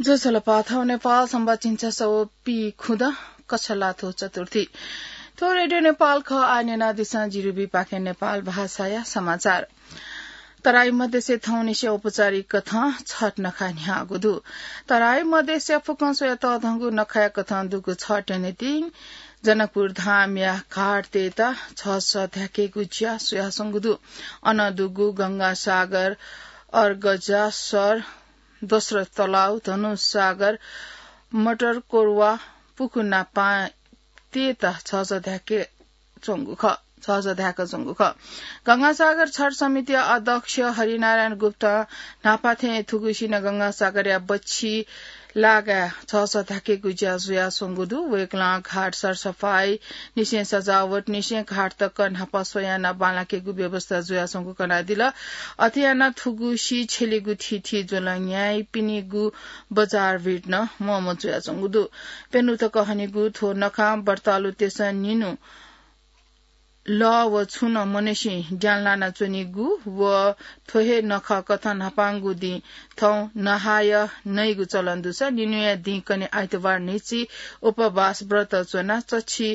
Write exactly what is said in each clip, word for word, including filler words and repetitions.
ज्वजलपा, थौं नेपाल संवत् झिंछसः व पीखुदँ कछलाथ्व चतुर्थी। थ्व रेडियो नेपाल खः। आः न्यनादिसँ जिरुबी पाखें नेपाल भाषाया समाचार। तराई मधेसय् थौंनिसें औपचारिक कथं छठ नखः न्ह्याःगु दु। तराई मधेसया फुक्कं स्वयातःधंगु नखःया कथं दुगु छठया निंतिं जनकपुर धामया घाटतय्त झःझः ध्याकेगु ज्या जुयाच्वंगु दु। अन दुगु गंगासागर, अर्गजासर, दशरथ तलाव, धनुषसागर, मटरकोर्वा, पुखु नापांतय्त झःझः ध्याके च्वंगु खः, झःझः ध्याके च्वंगु खः। गंगासागर छठ समितिया अध्यक्ष हरिनारायण गुप्तं न्हापा थें थुगुसिनं गंगासागरया बच्छि लागाय् झःझः ध्याकेगु ज्या जुयाच्वंगु दु। वय्कलं घाट सरसफाई निसें सजावट निसें घाट तक न्हापा स्वयाः बांलाकेगु व्यवस्था जुयाच्वंगु कनादिल। अथे यानाः थुगुसी छ्यलिगु थीथी ज्वलं न्याइपिनिगु बजार भिड नं मम्ह जुयाच्वंगु दु। प्यन्हु तक हनीगु थ्व नखां व्रतालुतय्सं निन्हु लः व छुं नं मनय्सिं ज्ञान लानाच्वनीगु व थ्व हे नखः कथं न्हापांगु दिं थौं नहायः नइगु चलन दुसा निन्हुया दिं कन्हय् आइतबार न्हिच्छि उपवास व्रत च्वनाः चच्छि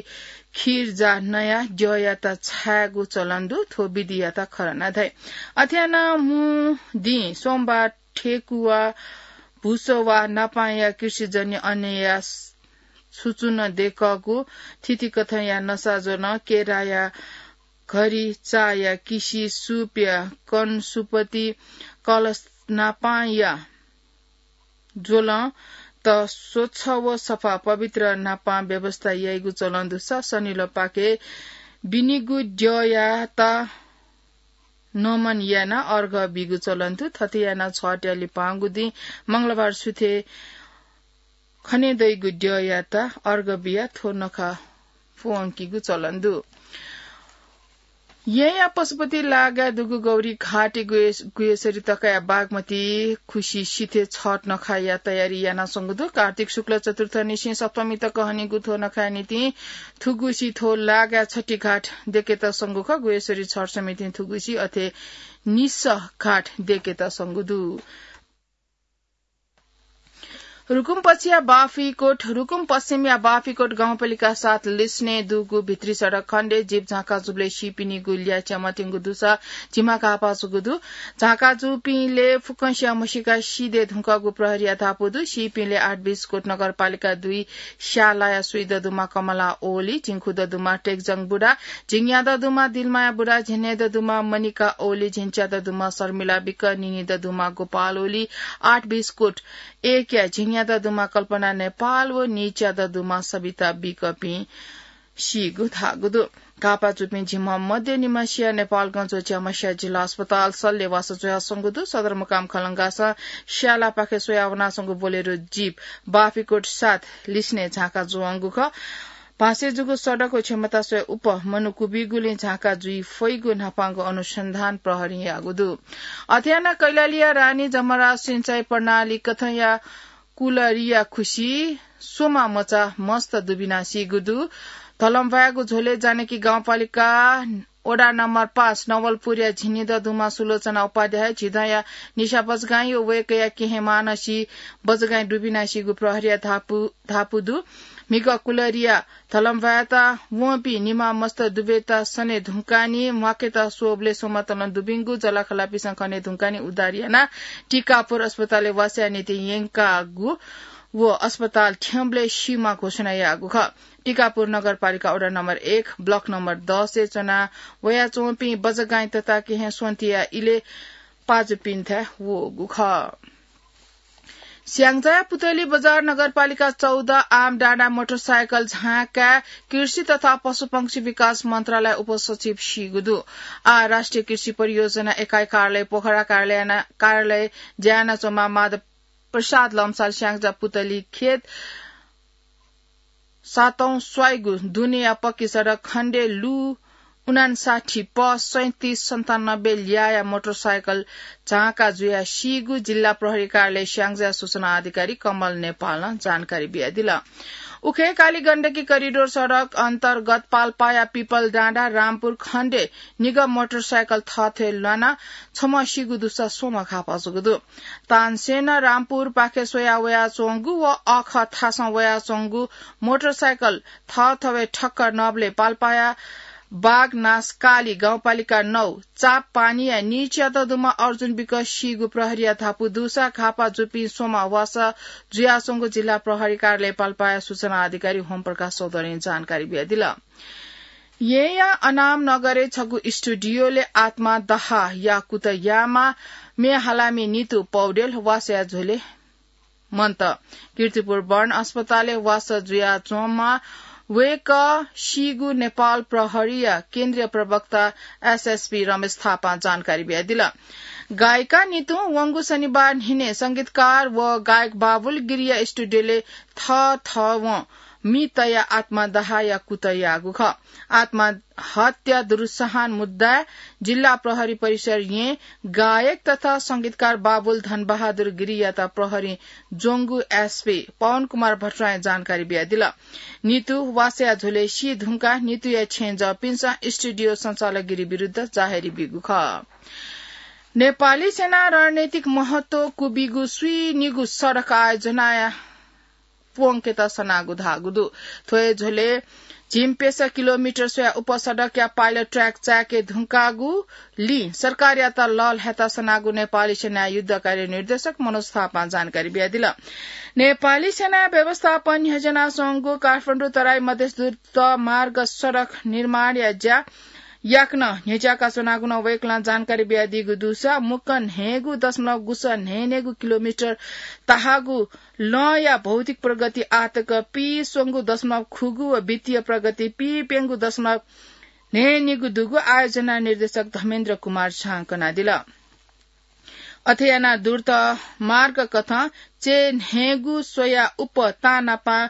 खीर जा नयाः द्यःयात छायेगु चलन दु। थ्व विधियात खरना धाइ। अथे यानाः मू दिं सोमबार ठेकुवा, भुसवा नापांया कृषिजन्य अन्नया सुचुन देकःगु थितिकथंया नसा ज्वलं, केराया घरि, चाया किसि, सूपया कन, सुपति, कलश नापांया ज्वलं त स्वच्छ व सफा पवित्र नापां व्यवस्था याइगु चलन दुसा सनिलपाखे बिनिगु द्यःयात नमन यानाः अर्घ बीगु चलन दु। थथे यानाः छठया लिपांगु दिं मंगलबार सुथय् खने दइगु द्यःयात अर्घ बियाः थ्व नखः प्वंकीगु चलन दु। येँया पशुपति लागाय् दुगु गौरी घाटय् गुहे-, गुह्येश्वरी तकया बागमती खुसि सिथय् छठ नखाया तयारी यानाच्वंगु दु। कार्तिक शुक्ल चतुर्थ निसें सप्तमी तक हनीगु थ्व नखाया निंतिं थुगुसी थ्व लागाय् छठी घाट देकेत संगु खः। गुह्येश्वरी छठ समितिं थुगुसी अथे निसः घाट देकेत संगु दु। रुकुम पश्चिमया बाफिकोट, रुकुम पश्चिमया बाफिकोट गाउँपालिका सात लिसनय् दुगु भित्री सडक खण्डय् जीप झाँका जूबलय् सीपिनिगु ल्याः च्यामत्यंगु दुसा झिम्मा घाःपाः जूगु दु। झाँका जूपिंलय् फुक्कसिया म्हसीका सिधये धुंकःगु प्रहरीया धापू दु। सीपिंलय् आठ बिस्कोट नगरपालिका दुई स्यालाया स्वीदँ दुम्ह कमला ओली, झिंखुदँ दुम्ह टेकजंग बुढा, झिंग्यादँ दुम्ह दिलमाया बुढा, झिंन्हय्दँ दुम्ह मनिका ओली, झिंच्यादँ दुम्ह शर्मिला बिक, निनिदँ दुम्ह गोपाल ओली, आठ बिस्कोट एकया झिंग्यादँ दुम्ह कल्पना नेपाल व नीच्यादँ दुम्ह सबिता बिकपिं सीगु धाःगु दु। घाःपाः जूपिं झिम्ह मध्ये निम्हसिया नेपालगंज व च्याम्हसिया जिल्ला अस्पताल सल्लेवास जुयाच्वंगु दु। सदरमुकाम खलंगासं स्यालापाखे स्वयावनाच्वंगु बोलेरो जीप बाफिकोट सात लिसनय् झाँका जूवंगु खः। भाँसे जूगु सडक व क्षमता स्वये उप मनू कुबीगुलिं झाँका जुइ फइगु न्हापांगु अनुसन्धान प्रहरीं याःगु दु। अथे यानाः कैलालीया रानी जमराज सिंचाई प्रणाली कथंया कुलरिया खुसि स्वम्ह मचा मस्त दुबिना सीगु दु। धलम्वाय्गु झ्वलय् जानकी गाउँपालिका वडा नम्बर पाँच नवलपुरया झिंनिदँ दुम्ह सुलोचना उपाध्याय, झिदँया निशा बजगाईं व वय्कःया केहेँ मानसी बजगाईं दुबिना सीगु प्रहरीया धापू, धापू दु। म्हिगः कुलरिया धलम्वाय्त वंपिं निम्ह मस्त दुबेत सने धुंकाः नि म्वाकेत स्वःबलय् स्वम्ह तलं दुबिंगु जःलाखःलापिन्सं खने धुंकाः नि उद्धार यानाः टिकापुर अस्पतालय् वासया निंतिं यंकागु व अस्पताल थ्यंबलय् सीम्ह घोषणा याःगु खः। टिकापुर नगरपालिका वडा नम्बर एक, ब्लक नम्बर दसय् च्वना वयाच्वंपिं बजगाईं तताकेहेँ स्वन्तिया इलय् पाजुपिन्थाय् वःगु खः। स्याङ्जाया पुतली बजार नगरपालिका चौध आमडाँडा मोटरसाइकल झाँकाय् कृषि तथा पशुपंक्षी विकास मन्त्रालय उपसचिव सीगु दु। आः राष्ट्रिय कृषि परियोजना एकाइ कार्यालय पोखरा कार्यालय याना, कार्यालय ज्या यानाच्वंम्ह माधव प्रसाद लम्साल स्याङ्जा पुतली खेत सातौं स्वाइगु दुनेया पक्की सडक खण्डे लु उनान्साठी प सैँतिस सन्तानब्बे ल्याया मोटरसाइकल झाँका जुयाः सीगु जिल्ला प्रहरी कार्यालय स्याङ्जा सूचना अधिकारी कमल नेपालं जानकारी बियादिल। उखे काली गण्डकी करिडोर सडक अन्तर्गत पाल्पाया पिपल डाँडा रामपुर खण्डे निगः मोटरसाइकल थःथें ल्वाना छम्ह सीगु दुसा स्वम्ह घाःपा जूगु दु। तानसेन रामपुर पाखे स्वया वयाच्वंगु व अःखः थासं वयाच्वंगु मोटरसाइकल थःथवय् ठक्कर नबलय् पाल्पाया बागनास काली गाउँपालिका नौ चाप पानीया नीच्यात दुम्ह अर्जुन विक सीगु प्रहरीया धापू दुसा घाःपा जूपिं स्वम्ह वासः जुयाच्वंगु जिल्ला प्रहरी कार्यालय पाल्पाया सूचना अधिकारी होमप्रकाश चौधरीं जानकारी बियादिल। येँया अनाम नगरय् छगू स्टुडियोलय् आत्मा दहाया कुतः याःम्ह म्ये हालामि नितु पौडेल वासःया झ्वलय् मन्त। कीर्तिपुर बर्न अस्पतालय् वासः जुयाच्वंम्ह वय्कः सीगु नेपाल प्रहरीया केन्द्रीय प्रवक्ता एसएसपी रमेश थापां जानकारी बियादिल। गायिका नितुं वंगु शनिबार न्हिनय् संगीतकार व गायक बाबुल गिरिया स्टुडियोलय् थःथवं मि तयाः आत्मा दहाया कुतः याःगु खः। आत्महत्या दुरुत्साहन मुद्दाय् जिल्ला प्रहरी परिसर येँ गायक तथा संगीतकार बाबुल धनबहादुर गिरियात प्रहरीं ज्वंगु एसपी पवन कुमार भट्टराईं जानकारी बियादिल। नितु वासःया झ्वलय् सी धुंकाः नितुया छेँजःपिन्सं स्टुडियो सञ्चालक गिरि विरुद्ध जाहेरी बीगु खः। नेपाली सेनां रणनीतिक महत्व क्वबीगु स्वीनिगू सडक आयोजनाया प्वंकेत सनागु धाःगु दु। थ्व हे झ्वलय् झिंप्यसः किलोमिटर स्वया उपसडकया पाइलट ट्र्याक चाय्के धुंकागुलिं सरकारयात लःल्हायेत सनागु नेपाली सेनाया युद्ध कार्य निर्देशक मनोज थापां जानकारी बियादिल। नेपाली सेनाया व्यवस्थापनं न्ह्यज्यानाच्वंगु काठमाडौं तराई मधेस द्रुत मार्ग सडक निर्माणया ज्या याकनं न्ह्यज्याकाच्वनागु नं वय्कलं जानकारी बियादीगु दुसा मुक्कं न्हय्गू दशमलव गुसः न्हय्न्हय्गू किलोमिटर ताहाःगु लँया भौतिक प्रगति आःतक पीस्वंगू दशमलव खुगू व वित्तीय प्रगति पीप्यंगू दशमलव न्हय्निगू दुगु आयोजना निर्देशक धमेन्द्र कुमार झां कनादिल। अथे यानाः द्रुत मार्ग कथं चय्न्हय्गू स्वया उप तांनापं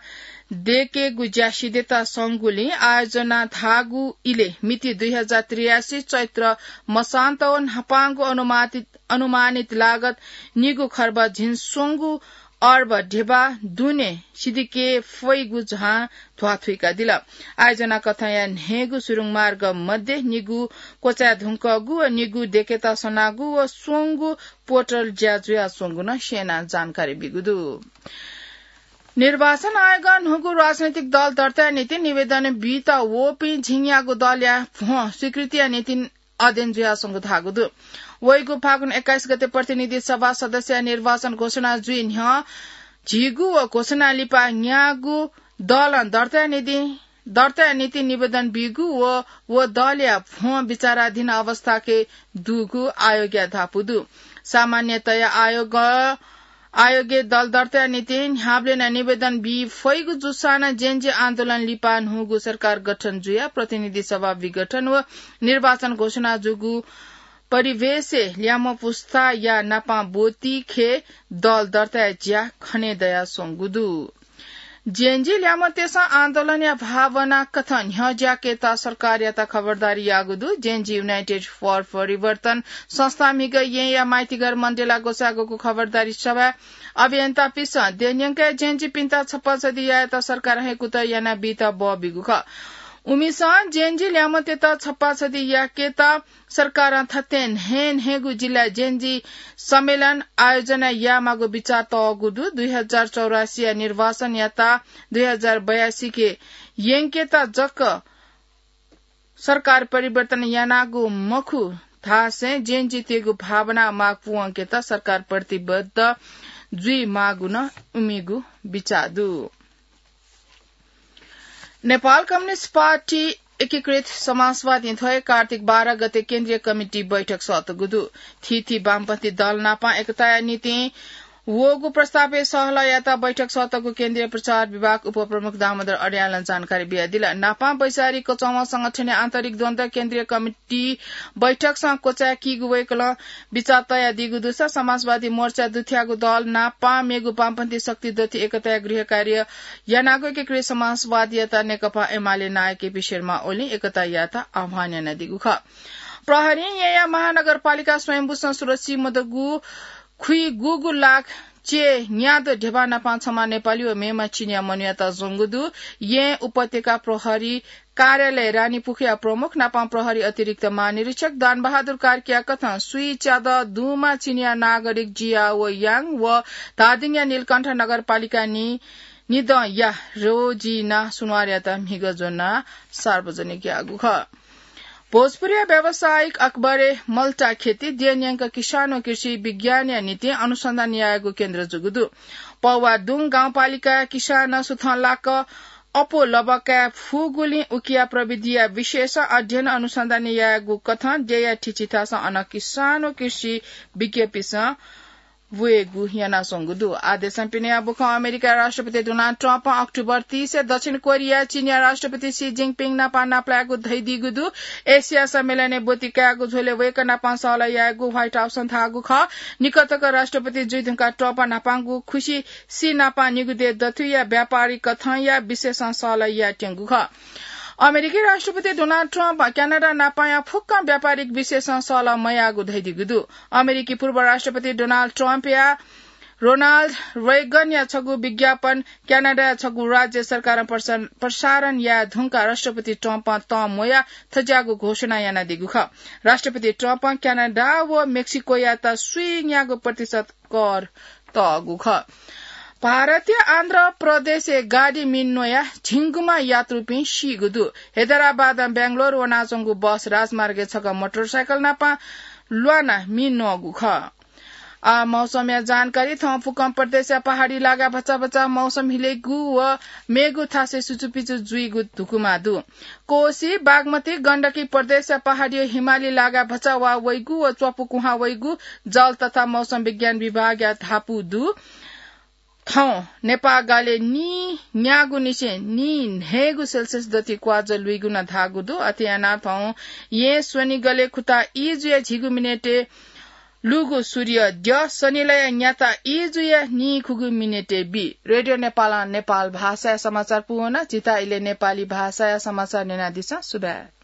दय्केगु ज्या सिधयेत संगुलिं आयोजना धाःगु इलय् मिति दुई हजार त्रियासी चैत्र मसान्त व न्हापांगु अनुमानित, अनुमानित लागत निगू खर्ब झिंस्वंगू अर्ब ध्यबा दुने सिधय्के फइगु झां ध्वाथुइकादिल। आयोजना कथंया न्हय्गू सुरुङ मार्ग मध्ये निगू क्वचाये धुंकःगु व निगू दय्केत सनागु व स्वंगू पोर्टल ज्या जुयाच्वंगु नं सेनां जानकारी बीगु दु। निर्वाचन आयोगं न्हूगु राजनैतिक दल दर्ताया निंतिं निवेदन बीत वःपिं झिंयागु दलया भ्वं स्वीकृतिया निंतिं अध्ययन जुयाच्वंगु धाःगु दु। वइगु फागुन एक्काइस गते प्रतिनिधि सभा सदस्यया निर्वाचन घोषणा जुइ न्ह्यः झिगू व घोषणा लिपा न्यागू दलं दर्ताया निंतिं, दर्ताया निंतिं निवेदन बीगु व व दलया भ्वं विचाराधीन अवस्थाके दुगु आयोगया धापू दु। सामान्यतया आयोग आयोगय् दल दर्ताया निंतिं न्ह्याबलें नं निवेदन बी फइगु जूसां नं जेनजी आन्दोलन लिपा न्हूगु सरकार गठन जुयाः प्रतिनिधि सभा विघटन व निर्वाचन घोषणा जूगु परिवेशय् ल्याम्ह पुस्ताया नापं ब्वतिखे दल दर्ताया ज्या खनेदयाच्वंगु दु। जेनजी ल्याम्हतय्सं आन्दोलनया भावना कथं न्ह्यज्याकेत सरकारयात खबरदारी याःगु दु। जेनजी युनाइटेड फर परिवर्तन संस्था म्हिगः येँया माइतीघर मण्डेला ग्वसाःगु खबरदारी सभाय् अभियन्तापिन्सं देय् न्यंकाः जेनजीपिन्त छप्पा छधी यायेत सरकारं हे कुतः यानाबीत बः बीगु खः। उमिसं जेनजी ल्याम्हतय्त छप्पा छधी याकेत सरकारं थथे न्हय्न्हय्गू जिल्लाय् जेनजी सम्मेलन आयोजना यायेमाःगु बिचाः तःगु दु। दुई हजार चौरासीया निर्वाचनयात दुई हजार बयासीके यंकेत जक सरकार परिवर्तन यानागु मखु धासें जेनजीतय्गु भावना माग पूवंकेत सरकार प्रतिबद्ध जुइमाःगु नं उमिगु बिचाः दु। नेपाल कम्युनिस्ट पार्टी एकीकृत समाजवादीं थ्व हे कार्तिक बाह्र गते केन्द्रीय कमिटी बैठक सःतगु दु। थीथी वामपन्थी दल नापं एकताया निंतिं वःगु प्रस्तावय् सहलह यायेत बैठक सःतःगु केन्द्रीय प्रचार विभाग उपप्रमुख दामोदर अर्यालं जानकारी बियादिल। नापं वैचारिक क्वचावं संगठनया आन्तरिक द्वन्द्व केन्द्रीय कमिटी बैठकसं क्वचाय्कीगु वय्कलं बिचाः तयादीगु दुसा समाजवादी मोर्चा दुथ्याःगु दल नापं मेगु वामपन्थी शक्ति दथुइ एकताया गृह कार्य यानागु एकीकृत समाजवादीयात नेकपा एमाले नायः केपी शर्मा ओलीं एकता यायेत आह्वान यानादीगु खः। प्रहरीं येँया महानगरपालिका स्वयम्भूसं सुरक्षित मदुगु खुइगूगु लाख चे न्याद ढेबा नापां छम्ह नेपाली व मेम्ह चिनिया मनूयात ज्वंगु दु। येँ उपत्यका प्रहरी कार्यालय रानीपुखुया प्रमुख नापां प्रहरी अतिरिक्त महानिरीक्षक दानबहादुर कार्कीया कथं स्वीच्यादँ दुम्ह चिनिया नागरिक जियाओ याङ व धादिङया नीलकण्ठ नगरपालिका नि निदँया रोजिना सुनवारयात म्हिगः ज्वनाः सार्वजनिक याःगु खः। भोजपुरया व्यावसायिक अकबरे मल्टा खेती द्यः न्यंक किसान व कृषि विज्ञानया निंतिं अनुसन्धान यायेगु केन्द्र जूगु दु। पौवादुङ गाउँपालिकाया किसानं सुथंलाक अप्वः लबा काये फुगुलिं उकिया प्रविधिया विषयय् अध्ययन अनुसन्धान यायेगु कथं द्यःया थिचिथासं अन किसान व कृषि विज्ञपिसं वयेगु यानाच्वंगु दु। आः देशं पिनेया बुखँ अमेरिका राष्ट्रपति डोनाल्ड ट्रम्पं अक्टोबर तीसय् दक्षिण कोरिया चीनया राष्ट्रपति सी जिनपिङ नाप नापलायेगु धयादीगु दु। एसिया सम्मेलनय् ब्वति कायेगु झ्वलय् वय्कः नाप सहलह यायेगु व्हाइट हाउसं धाःगु खः। निकटक राष्ट्रपति जुइ धुंकाः ट्रम्प न्हापांगु खुसि सी नाप निगू देय् दथुइया व्यापारिक कथंया विषयय् सहलह यायेत्यंगु खः। अमेरिकी राष्ट्रपति डोनाल्ड ट्रम्प क्यानाडा नापया फुक्क व्यापारिक विषयय् सहलह मयाःगु धयादीगु दु। अमेरिकी पूर्व राष्ट्रपति डोनाल्ड ट्रम्पया रोनाल्ड रेगनया छगू विज्ञापन क्यानाडाया छगू राज्य सरकारं प्रसा-, प्रसारण याये धुंकाः राष्ट्रपति ट्रम्पं तं म्वयाः थज्याःगु घोषणा यानादीगु खः। राष्ट्रपति ट्रम्पं क्यानाडा व मेक्सिकोयात स्वीन्यागू प्रतिशत कर तःगु खः। भारतया आन्ध्र प्रदेशय् गाडी मिन्वयाः झिंगुम्ह यात्रुपिं सीगु दु। हैदराबादं बेंगलोर वनाच्वंगु बस राजमार्गय् छकः मोटरसाइकल नाप ल्वानाः मिन्वःगु खः। आः मौसमया जानकारी। थौं फुक्कं प्रदेशया पहाडी लागाय् भचा भचा मौसम हिलेगु व मेगु थासय् सुचुपिचु जुइगु धुकुमा दु। कोसी, बागमती, गण्डकी प्रदेशया पहाडी व हिमाली लागाय् भचा वाः वइगु व च्वापु कुहां वइगु जल तथा मौसम विज्ञान विभागया धापू दु। थौं नेपाःगालय् नीन्यागू निसें नीन्हय्गू सेल्सियस दथुइ क्वाःज्वः लुइगु नं धाःगु दु। अथे यानाः थौं येँ स्वनिगलय् खुता ई जुया झिगू मिनेटय् लुगु सूर्य द्यः सनिलया न्याता ई जुया नीखुगू मिनेटय् बी। रेडियो नेपालं नेपाल भाषाया समाचार पूवन। जितः इलय् नेपाली भाषाया समाचार न्यनादिसँ। सुभाय्।